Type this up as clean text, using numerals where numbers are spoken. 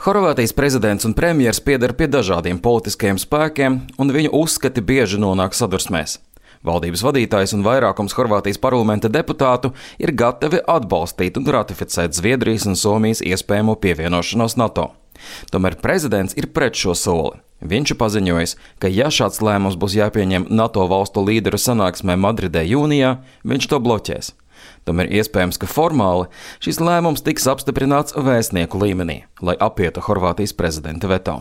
Horvātijas prezidents un premjers pieder pie dažādiem politiskajiem spēkiem, un viņu uzskati bieži nonāk sadursmēs. Valdības vadītājs un vairākums Horvātijas parlamenta deputātu ir gatavi atbalstīt un ratificēt Zviedrijas un Somijas iespējamo pievienošanos NATO. Tomēr prezidents ir pret šo soli. Viņš ir paziņojis, ka ja šāds lēmums būs jāpieņem NATO valstu līderu sanāksmē Madridē jūnijā, viņš to bloķēs. Tomēr iespējams, ka formāli šis lēmums tiks apstiprināts vēstnieku līmenī, lai apietu Horvātijas prezidenta veto.